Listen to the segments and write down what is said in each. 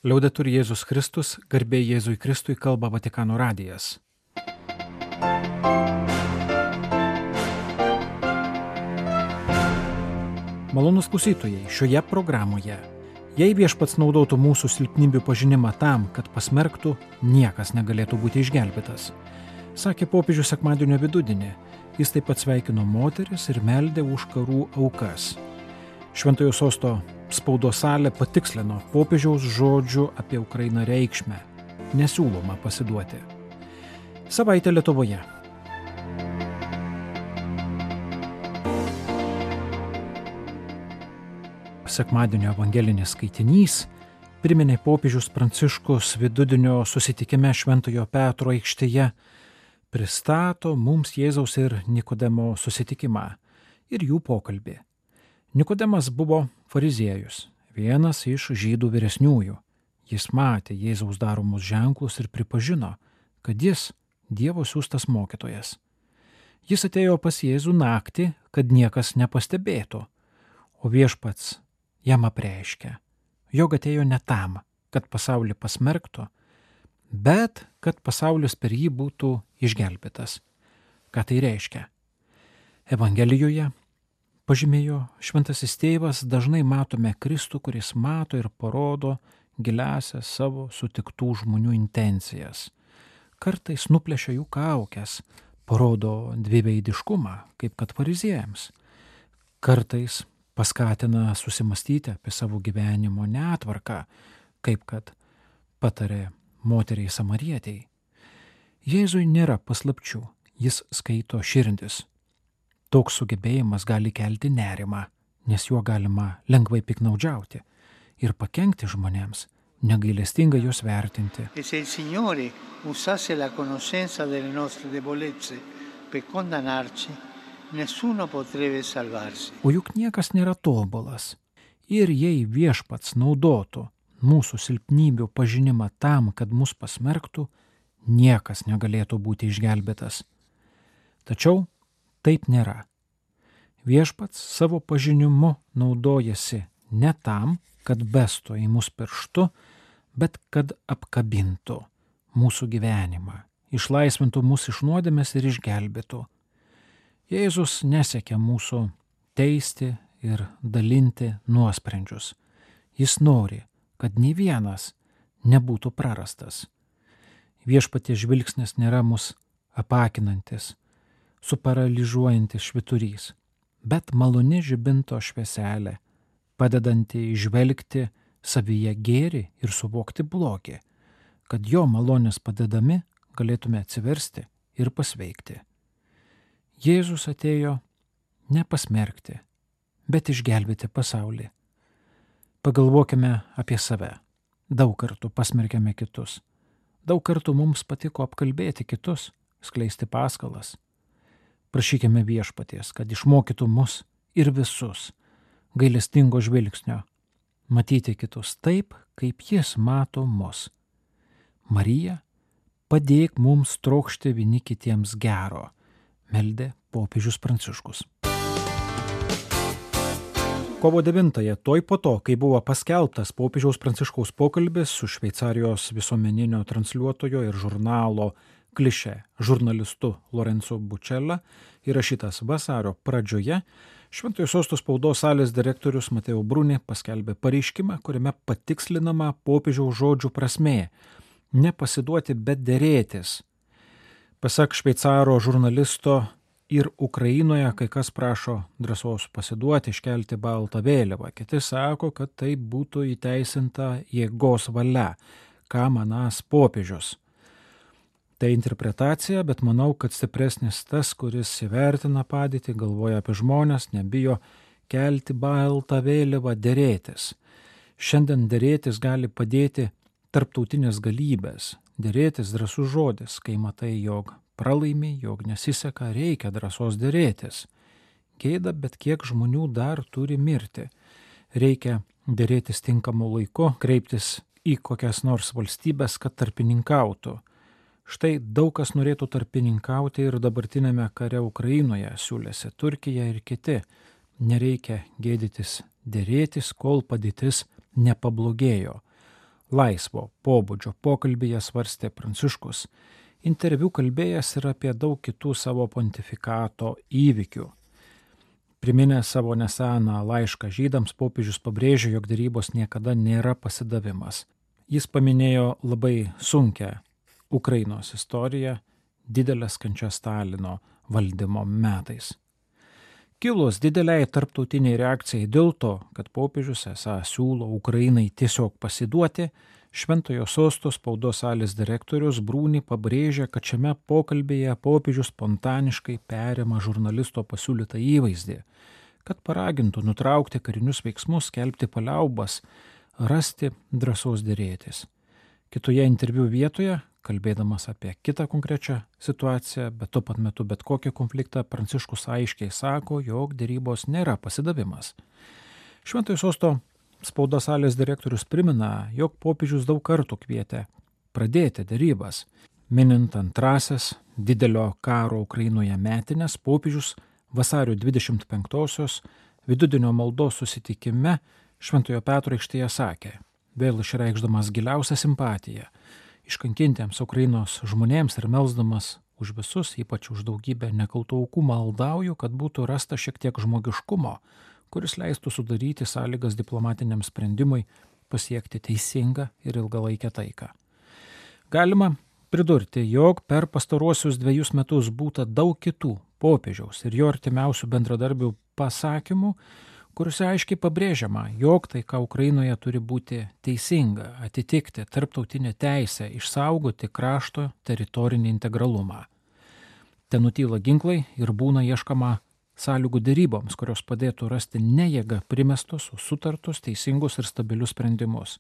Liaudetur Jėzus Kristus, garbė Jėzui Kristui, kalba Vatikano radijas. Malonūs klausytojai, šioje programoje, jei Viešpats naudotų mūsų silpnybių pažinimą tam, kad pasmerktų, niekas negalėtų būti išgelbėtas. Sakė popiežius sekmadienio vidudienį, jis taip pat sveikino moteris ir meldė už karų aukas. Šventojo sosto spaudos salė patikslino popiežiaus žodžių apie Ukrainą reikšmę. Nesiūloma pasiduoti. Savaitė Lietuvoje. Sekmadienio evangelinis skaitinys priminė popiežius Pranciškus vidudienio susitikime Šventojo Petro aikštėje, pristato mums Jėzaus ir Nikodemo susitikimą ir jų pokalbį. Nikodemas buvo fariziejus, vienas iš žydų vyresniųjų. Jis matė Jėzaus daromus ženklus ir pripažino, kad jis Dievo siųstas mokytojas. Jis atėjo pas Jėzų naktį, kad niekas nepastebėtų, o Viešpats jam apreiškė, jog atėjo ne tam, kad pasaulį pasmerktų, bet kad pasaulis per jį būtų išgelbėtas. Ką tai reiškia? Evangelijoje, pažymėjo Šventasis Tėvas, dažnai matome Kristų, kuris mato ir parodo giliasias savo sutiktų žmonių intencijas. Kartais nuplėšia jų kaukes, parodo dviveidiškumą, kaip kad fariziejams. Kartais paskatina susimastyti apie savo gyvenimo netvarką, kaip kad patarė moteriai samarietei. Jėzui nėra paslapčių, jis skaito širdis. Toks sugebėjimas gali kelti nerimą, nes juo galima lengvai piknaudžiauti ir pakenkti žmonėms, negailestingai juos vertinti. E se il Signore usasse la conoscenza delle nostre debolezze per condannarci, nessuno potrebbe salvarsi. O juk niekas nėra tobulas. Ir jei Viešpats naudotų mūsų silpnybių pažinimą tam, kad mus pasmerktų, niekas negalėtų būti išgelbėtas. Tačiau taip nėra. Viešpats savo pažinimu naudojasi ne tam, kad bestų į mus pirštu, bet kad apkabintų mūsų gyvenimą, išlaisvintų mus iš nuodėmės ir išgelbėtų. Jėzus nesiekia mūsų teisti ir dalinti nuosprendžius. Jis nori, kad nei vienas nebūtų prarastas. Viešpaties žvilgsnis nėra mus apakinantis, suparalyžiuojantis švyturys, bet maloni žibinto švieselė, padedanti įžvelgti savyje gėrį ir suvokti blogį, kad jo malonės padedami galėtume atsiversti ir pasveikti. Jėzus atėjo ne pasmerkti, bet išgelbėti pasaulį. Pagalvokime apie save. Daug kartų pasmerkėme kitus. Daug kartų mums patiko apkalbėti kitus, skleisti paskalas. Prašykime Viešpaties, kad išmokytų mus ir visus gailestingo žvilgsnio, matyti kitus taip, kaip jis mato mus. Marija, padėk mums trokšti vieni kitiems gero, meldė popiežius Pranciškus. Kovo 9-ąją, toj po to, kai buvo paskelbtas popiežiaus Pranciškaus pokalbis su Šveicarijos visuomeninio transliuotojo ir žurnalo Klišė žurnalistu Lorenzo Bučela, įrašytas vasario pradžioje, Šventojo sosto spaudos salės direktorius Mateo Bruni paskelbė pareiškimą, kuriame patikslinama popiežiaus žodžių prasmė – nepasiduoti, bet derėtis. Pasak šveicaro žurnalisto, ir Ukrainoje kai kas prašo drąsos pasiduoti, iškelti baltą vėliavą. Kiti sako, kad tai būtų įteisinta jėgos valia, ką manąs popiežius. Tai interpretacija, bet manau, kad stipresnis tas, kuris įvertina padėtį, galvoja apie žmonės, nebijo kelti baltą vėliavą, derėtis. Šiandien derėtis gali padėti tarptautinės galybės. Derėtis drąsus žodis, kai matai, jog pralaimi, jog nesiseka, reikia drąsos derėtis. Gėda, bet kiek žmonių dar turi mirti. Reikia derėtis tinkamu laiku, kreiptis į kokias nors valstybės, kad tarpininkautų. Štai daug kas norėtų tarpininkauti ir dabartinėme kare Ukrainoje, siūlėsi Turkija ir kiti. Nereikia gėdytis derėtis, kol padėtis nepablogėjo. Laisvo pobūdžio pokalbyje svarstė Pranciškus. Interviu kalbėjęs ir apie daug kitų savo pontifikato įvykių. Priminęs savo neseną laišką žydams, popiežius pabrėžė, jog derybos niekada nėra pasidavimas. Jis paminėjo labai sunkią Ukrainos istoriją, didelės kančias Stalino valdymo metais. Kilus dideliai tarptautiniai reakcijai dėl to, kad popiežius esą siūlo Ukrainai tiesiog pasiduoti, Šventojo Sosto spaudos salės direktorius Brūni pabrėžė, kad šiame pokalbėje popiežius spontaniškai perima žurnalisto pasiūlytą įvaizdį, kad paragintų nutraukti karinius veiksmus, skelbti paliaubas, rasti drąsos derėtis. Kitoje interviu vietoje, kalbėdamas apie kitą konkrečią situaciją, bet tuo pat metu bet kokį konfliktą, Pranciškus aiškiai sako, jog derybos nėra pasidavimas. Šventojo Sosto spaudos salės direktorius primena, jog popiežius daug kartų kvietė pradėti derybas. Minint antrasias didelio karo Ukrainoje metines, popiežius vasario 25-osios vidudienio maldos susitikime Šventojo Petro aikštėje sakė, vėl išreikšdamas giliausią simpatiją iškankintiems Ukrainos žmonėms ir melsdamas už visus, ypač už daugybę nekaltų aukų, maldauju, kad būtų rasta šiek tiek žmogiškumo, kuris leistų sudaryti sąlygas diplomatiniam sprendimui pasiekti teisingą ir ilgalaikę taiką. Galima pridurti, jog per pastaruosius 2 metus būta daug kitų popiežiaus ir jo artimiausių bendradarbių pasakymų, kuriuose aiškiai pabrėžiama, jog taika Ukrainoje turi būti teisinga, atitikti tarptautinę teisę, išsaugoti krašto teritorinį integralumą. Ten nutyla ginklai ir būna ieškama sąlygų deryboms, kurios padėtų rasti ne jėga primestus, o sutartus, teisingus ir stabilius sprendimus.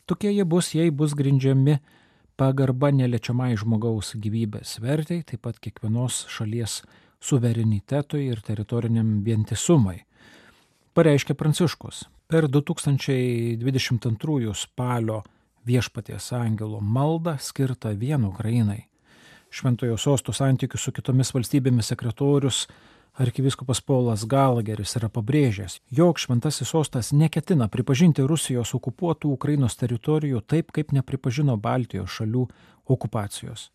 Tokie jie bus, jei bus grindžiami pagarba neliečiamai žmogaus gyvybės vertei, taip pat kiekvienos šalies suverenitetui ir teritoriniam vientisumui. Pareiškė Pranciškus. Per 2022 spalio Viešpaties angelo maldą skirtą vien Ukrainai. Šventojo Sosto santykių su kitomis valstybėmis sekretorius arkivyskupas Paulas Galageris yra pabrėžęs, jog Šventasis Sostas neketina pripažinti Rusijos okupuotų Ukrainos teritorijų taip, kaip nepripažino Baltijos šalių okupacijos.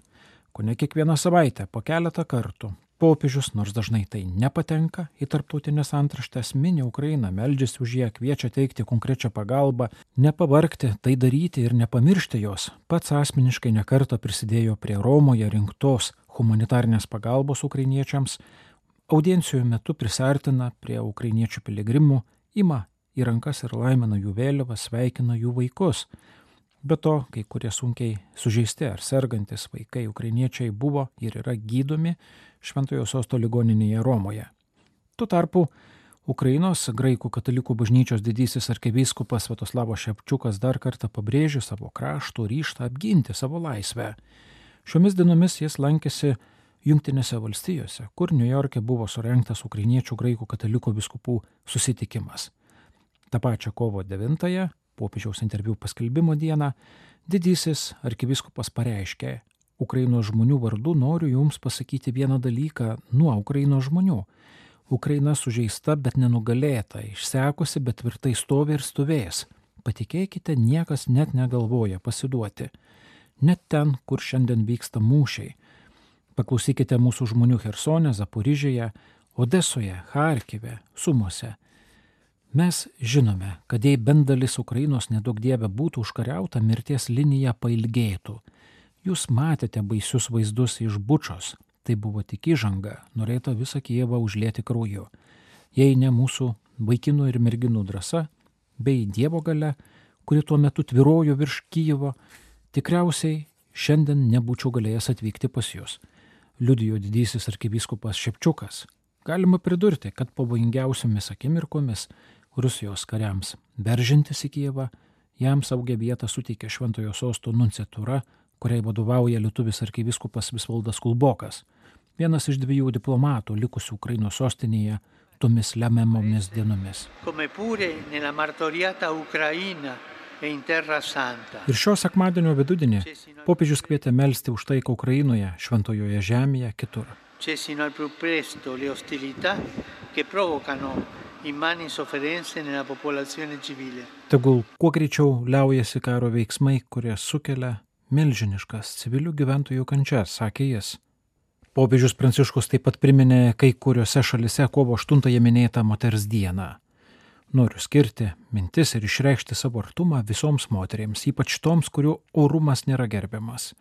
Kone kiekvieną savaitę po keletą kartų popiežius, nors dažnai tai nepatenka į tarptautinės antraštės, mini Ukrainą, meldžiasi už ją, kviečia teikti konkrečią pagalbą, nepavargti, tai daryti ir nepamiršti jos. Pats asmeniškai nekartą prisidėjo prie Romoje rinktos humanitarnės pagalbos ukrainiečiams, audiencijų metu prisartina prie ukrainiečių piligrimų, ima į rankas ir laimina jų vėliavą, sveikina jų vaikus. Be to, kai kurie sunkiai sužeisti ar sergantis vaikai ukrainiečiai buvo ir yra gydomi Šventojo Sosto ligoninėje Romoje. Tuo tarpu Ukrainos graikų katalikų bažnyčios didysis arkivyskupas Sviatoslavas Ševčiukas dar kartą pabrėžė savo krašto ryžtą apginti savo laisvę. Šiomis dienomis jis lankėsi Jungtinėse valstijose, kur Niujorke buvo surengtas ukrainiečių graikų katalikų vyskupų susitikimas. Ta pačia kovo 9-ąją, popiežiaus interviu paskelbimo dieną, didysis arkivyskupas pareiškė, Ukrainos žmonių vardu noriu jums pasakyti vieną dalyką nuo Ukrainos žmonių. Ukraina sužeista, bet nenugalėta, išsekusi, bet tvirtai stovi ir stovės. Patikėkite, niekas net negalvoja pasiduoti. Net ten, kur šiandien vyksta mūšiai. Paklausykite mūsų žmonių Chersone, Zaporižėje, Odesoje, Charkive, Sumose. Mes žinome, kad jei bent dalis Ukrainos nedaug dieve būtų užkariauta, mirties linija pailgėtų. Jūs matėte baisius vaizdus iš Bučos. Tai buvo tik įžanga, norėta visą Kijevą užlieti krauju. Jei ne mūsų vaikinų ir merginų drąsa, bei Dievo galia, kuri tuo metu tvyrojo virš Kijevo, tikriausiai šiandien nebūčiau galėjęs atvykti pas jūs. Liudijo didysis arkivyskupas Ševčiukas. Galima pridurti, kad pavojingiausiomis akimirkomis Rusijos kariams veržintis į Kijevą, jam saugią vietą suteikė Šventojo Sosto nunciatūra, kuriai vadovauja lietuvis arkivyskupas Visvaldas Kulbokas, vienas iš 2 diplomatų likusių Ukrainos sostinėje tomis lemiamomis dienomis. Ir šio sekmadienio vidudienį popiežius kvietė melsti už taiką Ukrainoje, šventojoje žemėje, kitur. Cessino al più presto le ostilità che provocano immani sofferenze nella popolazione civile. Tegul kuo greičiau liaujasi karo veiksmai, kurie sukelia milžiniškas civilių gyventojų kančias, sakė jis. Popiežius Pranciškus taip pat priminė kai kuriuose šalise kovo 8 minėtą moters dieną. Noriu skirti mintis ir išreikšti savo artumą visoms moterims, ypač toms, kurių orumas nėra gerbiamas.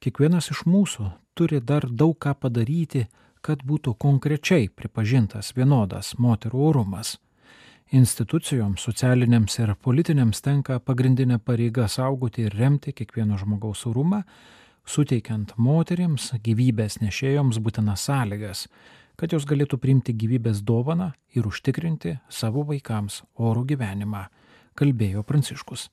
Kiekvienas iš mūsų turi dar daug ką padaryti, kad būtų konkrečiai pripažintas vienodas moterų orumas. Institucijoms, socialiniams ir politiniams tenka pagrindinė pareiga saugoti ir remti kiekvieno žmogaus orumą, suteikiant moterims, gyvybės nešėjoms būtinas sąlygas, kad jos galėtų priimti gyvybės dovaną ir užtikrinti savo vaikams orų gyvenimą, kalbėjo Pranciškus.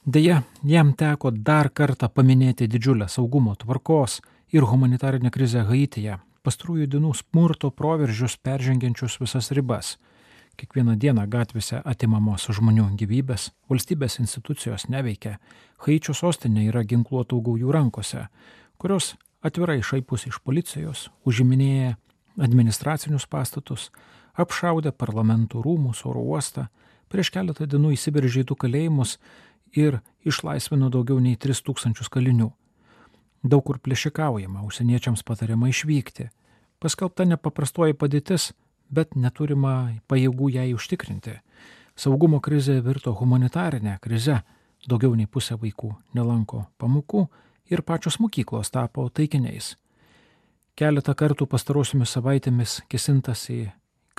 Deja, jam teko dar kartą paminėti didžiulę saugumo tvarkos ir humanitarinę krizę Haityje, pastarųjų dienų smurto proveržius peržengiančius visas ribas. Kiekvieną dieną gatvėse atimamos žmonių gyvybės, valstybės institucijos neveikia, Haičio sostinė yra ginkluotų gaujų rankose, kurios atvirai šaipusi iš policijos, užiminėja administracinius pastatus, apšaudė parlamentų rūmus, oro uostą, prieš keletą dienų įsiveržė į 2 kalėjimus ir išlaisvino daugiau nei 3000 kalinių. Daug kur plėšikaujama, užsieniečiams patariama išvykti. Paskelbta nepaprastoji padėtis, bet neturima pajėgų jai užtikrinti. Saugumo krizė virto humanitarinę krizę, daugiau nei pusė vaikų nelanko pamokų ir pačios mokyklos tapo taikiniais. Keletą kartų pastarosiomis savaitėmis kėsintas į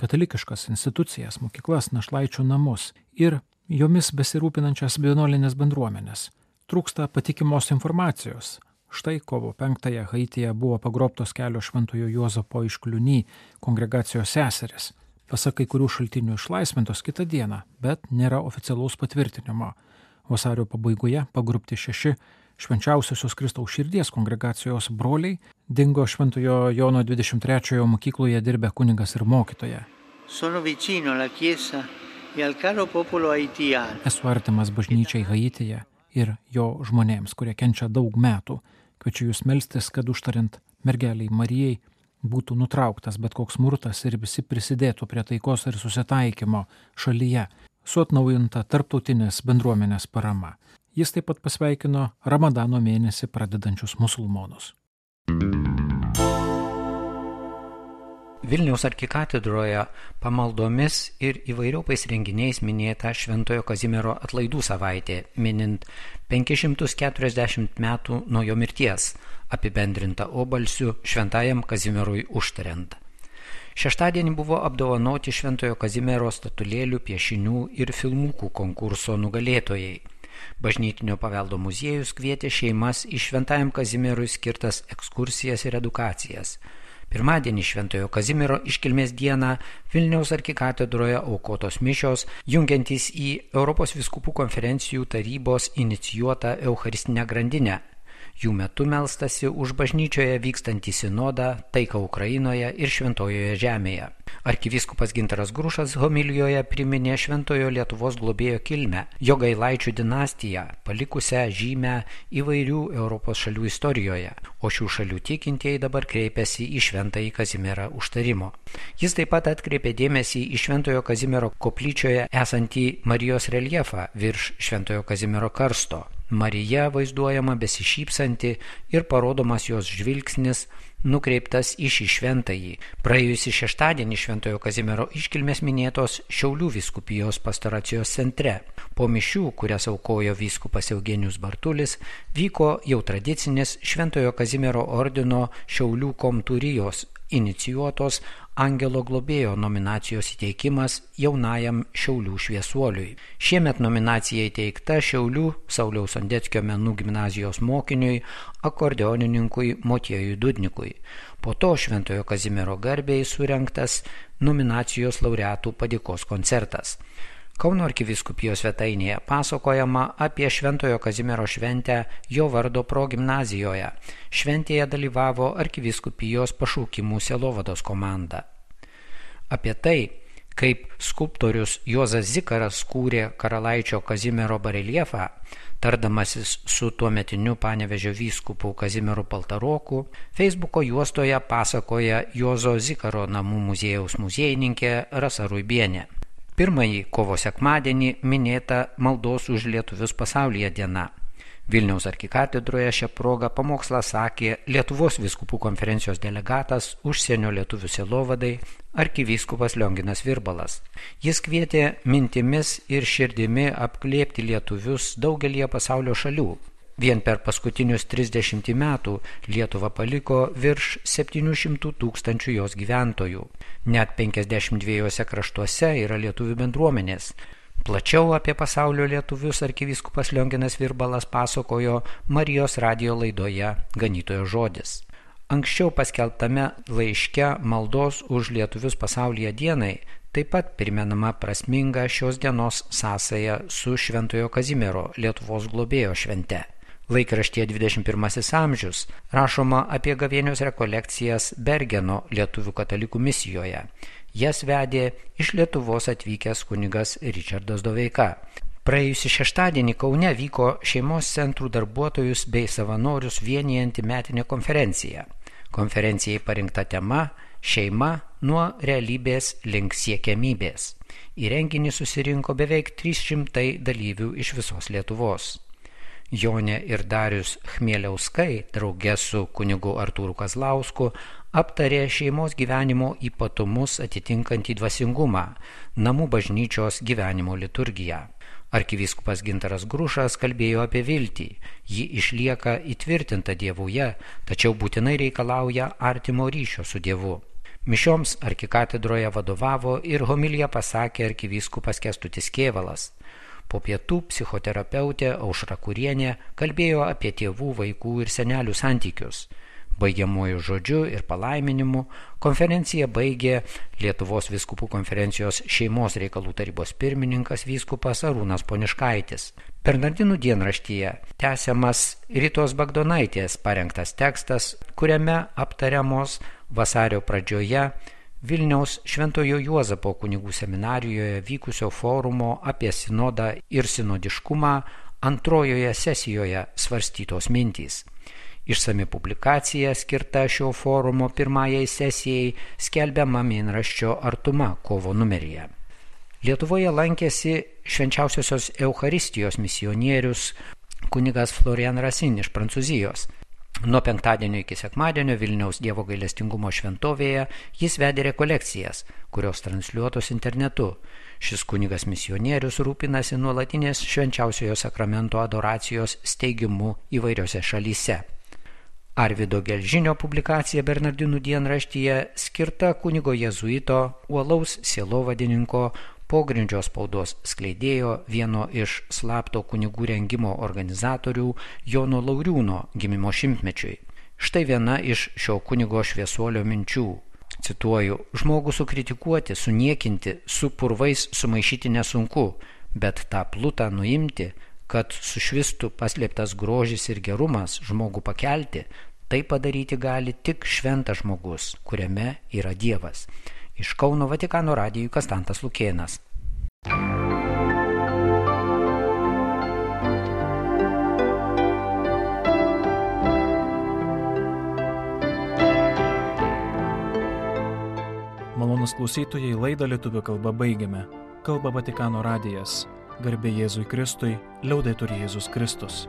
katalikiškas institucijas, mokyklas, našlaičių namus ir jomis besirūpinančias vienuolinės bendruomenės. Trūksta patikimos informacijos. Štai kovo 5 Haityje buvo pagrobtos kelios Šventojo Juozapo iš Kliuny kongregacijos seserys. Pasak kai kurių šaltinių išlaisvintos kitą dieną, bet nėra oficialaus patvirtinimo. Vasario pabaigoje pagrobti 6 Švenčiausiosios Kristaus širdies kongregacijos broliai dingo Šventojo Jono 23 mokykloje dirbę kunigas ir mokytoja. Esu artimas bažnyčiai Haityje ir jo žmonėms, kurie kenčia daug metų. Kviečiu jūs melstis, kad užtariant mergeliai Marijai būtų nutrauktas bet koks smurtas ir visi prisidėtų prie taikos ir susitaikymo šalyje su atnaujinta tarptautinės bendruomenės parama. Jis taip pat pasveikino Ramadano mėnesį pradedančius musulmonus. Vilniaus arkikatedroje pamaldomis ir įvairiopais renginiais minėta Šventojo Kazimiero atlaidų savaitė, minint 540 metų nuo jo mirties, apibendrinta obalsiu Šventajam Kazimierui užtariant. Šeštadienį buvo apdovanoti Šventojo Kazimiero statulėlių, piešinių ir filmukų konkurso nugalėtojai. Bažnytinio paveldo muziejus kvietė šeimas į Šventajam Kazimierui skirtas ekskursijas ir edukacijas. Pirmadienį Šventojo Kazimiero iškilmės dieną Vilniaus arkikatedroje aukotos mišios, jungiantys į Europos vyskupų konferencijų tarybos inicijuotą eucharistinę grandinę. Jų metu melstasi už bažnyčioje vykstantį sinodą, taiką Ukrainoje ir Šventojoje žemėje. Arkivyskupas Gintaras Grušas homilijoje priminė Šventojo Lietuvos globėjo kilmę, Jogailaičių dinastiją, palikusią žymę įvairių Europos šalių istorijoje, o šių šalių tikintieji dabar kreipiasi į Šventąjį Kazimierą užtarimo. Jis taip pat atkreipė dėmesį į Šventojo Kazimiero koplyčioje esantį Marijos reljefą virš Šventojo Kazimiero karsto. Marija vaizduojama besišypsanti ir parodomas jos žvilgsnis nukreiptas į šį šventąjį. Praėjusį šeštadienį Šventojo Kazimiero iškilmės minėtos Šiaulių vyskupijos pastoracijos centre. Po mišių, kurias aukojo vyskupas Eugenijus Bartulis, vyko jau tradicinis Šventojo Kazimiero ordino Šiaulių komturijos inicijuotos Angelo globėjo nominacijos įteikimas jaunajam Šiaulių šviesuoliui. Šiemet nominacija įteikta Šiaulių Sauliaus Sondeckio menų gimnazijos mokiniui, akordeonininkui Motiejui Dudnikui. Po to Šventojo Kazimiero garbei surengtas nominacijos laureatų padėkos koncertas. Kauno arkivyskupijos svetainėje pasakojama apie Šventojo Kazimiero šventę jo vardo progimnazijoje. Šventėje dalyvavo arkivyskupijos pašaukimų sielovados komanda. Apie tai, Kaip skulptorius Juozas Zikaras kūrė karalaičio Kazimiero bareljefą, tardamasis su tuometiniu Panevėžio vyskupu Kazimieru Paltaroku, Facebooko juostoje pasakoja Juozo Zikaro namų muziejaus muziejininkė Rasa Ruibienė. Pirmąjį kovo sekmadienį minėta Maldos už lietuvius pasaulyje diena. Vilniaus arkikatedroje šią progą pamokslą sakė Lietuvos vyskupų konferencijos delegatas užsienio lietuvių sielovadai arkivyskupas Lionginas Virbalas. Jis kvietė mintimis ir širdimi apglėbti lietuvius daugelį pasaulio šalių. Vien per paskutinius 30 metų Lietuvą paliko virš 700 000 jos gyventojų. Net 52 kraštuose yra lietuvių bendruomenės. Plačiau apie pasaulio lietuvius arkivyskupas Lionginas Virbalas pasakojo Marijos radijo laidoje Ganytojo žodis. Anksčiau paskelbtame laiške Maldos už lietuvius pasaulyje dienai taip pat primenama prasminga šios dienos sąsaja su Šventojo Kazimiero Lietuvos globėjo švente. Laikraštyje 21 amžius rašoma apie gavėnios rekolekcijas Bergeno lietuvių katalikų misijoje. Jas vedė iš Lietuvos atvykęs kunigas Ričardas Doveika. Praėjusį šeštadienį Kaune vyko šeimos centrų darbuotojus bei savanorius vienijanti metinė konferencija. Konferencijai parinkta tema Šeima nuo realybės link siekiamybės. Į renginį susirinko beveik 300 dalyvių iš visos Lietuvos. Jonė ir Darius Chmieliauskai, drauge su kunigu Artūru Kazlausku, aptarė šeimos gyvenimo ypatumus atitinkantį dvasingumą, namų bažnyčios gyvenimo liturgiją. Arkivyskupas Gintaras Grušas kalbėjo apie viltį. Ji išlieka įtvirtinta Dievuje, tačiau būtinai reikalauja artimo ryšio su Dievu. Mišioms arkikatedroje vadovavo ir homiliją pasakė arkivyskupas Kęstutis Kėvalas. Po pietų psichoterapeutė Aušra Kurienė kalbėjo apie tėvų, vaikų ir senelių santykius. Baigiamuoju žodžiu ir palaiminimu konferenciją baigė Lietuvos vyskupų konferencijos šeimos reikalų tarybos pirmininkas vyskupas Arūnas Poniškaitis. Bernardinų dienraštyje tęsiamas Ritos Bagdonaitės parengtas tekstas, kuriame aptariamos vasario pradžioje Vilniaus Šventojo Juozapo kunigų seminarijoje vykusio forumo apie sinodą ir sinodiškumą antrojoje sesijoje svarstytos mintys. Išsami publikacija skirta šio forumo pirmajai sesijai skelbiama mėnraščio Artuma kovo numeryje. Lietuvoje lankėsi Švenčiausiosios Eucharistijos misionierius kunigas Florian Racine iš Prancūzijos. Nuo penktadienio iki sekmadienio Vilniaus Dievo gailestingumo šventovėje jis vedė rekolekcijas, kurios transliuotos internetu. Šis kunigas misionierius rūpinasi nuolatinės švenčiausiojo sakramento adoracijos steigimu įvairiose šalyse. Arvydo Gelžinio publikacija Bernardinų dienraštyje skirta kunigo jėzuito, uolaus sielovadininko, pogrindžio spaudos skleidėjo, vieno iš slapto kunigų rengimo organizatorių Jono Lauriūno gimimo šimtmečiui. Štai viena iš šio kunigo šviesuolio minčių. Cituoju, žmogų sukritikuoti, suniekinti, su purvais sumaišyti nesunku, bet tą plutą nuimti, kad sušvistų paslėptas grožis ir gerumas, žmogų pakelti, tai padaryti gali tik šventas žmogus, kuriame yra Dievas. Iš Kauno Vatikano radijui Kastantas Lukėnas. Malonūs klausytojai, laidą lietuvių kalba baigiame. Kalba Vatikano radijas. Garbė Jėzui Kristui, liaudetur Jėzus Kristus.